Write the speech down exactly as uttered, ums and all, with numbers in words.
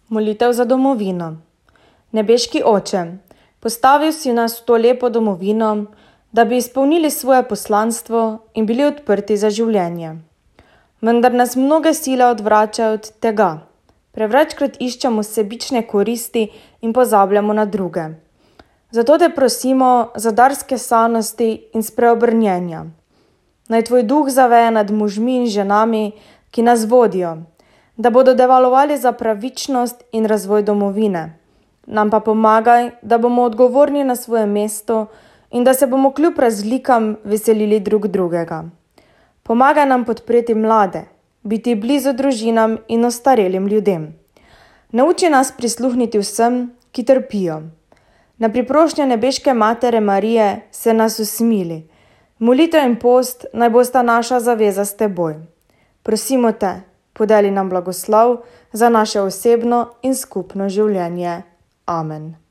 Molitev za domovino. Nebeški Oče, postavil si nas v to lepo domovino, da bi izpolnili svoje poslanstvo in bili odprti za življenje. Vendar nas mnoge sile odvračajo od tega. Prevečkrat iščemo sebične koristi in pozabljamo na druge. Zato te prosimo za dar skesanosti in spreobrnjenja. Naj tvoj duh zaveje nad možmi in ženami, ki nas vodijo, da bodo devalovali za pravičnost in razvoj domovine. Nam pa pomagaj, da bomo odgovorni na svoje mesto in da se bomo kljub razlikam veselili drug drugega. Pomagaj nam podpreti mlade, biti blizu družinam in ostarelim ljudem. Nauči nas prisluhniti vsem, ki trpijo. Na priprošnjo nebeške Matere Marije se nas usmili. Molitev in post naj bosta naša zaveza s teboj. Prosimo te, podeli nam blagoslov za naše osebno in skupno življenje. Amen.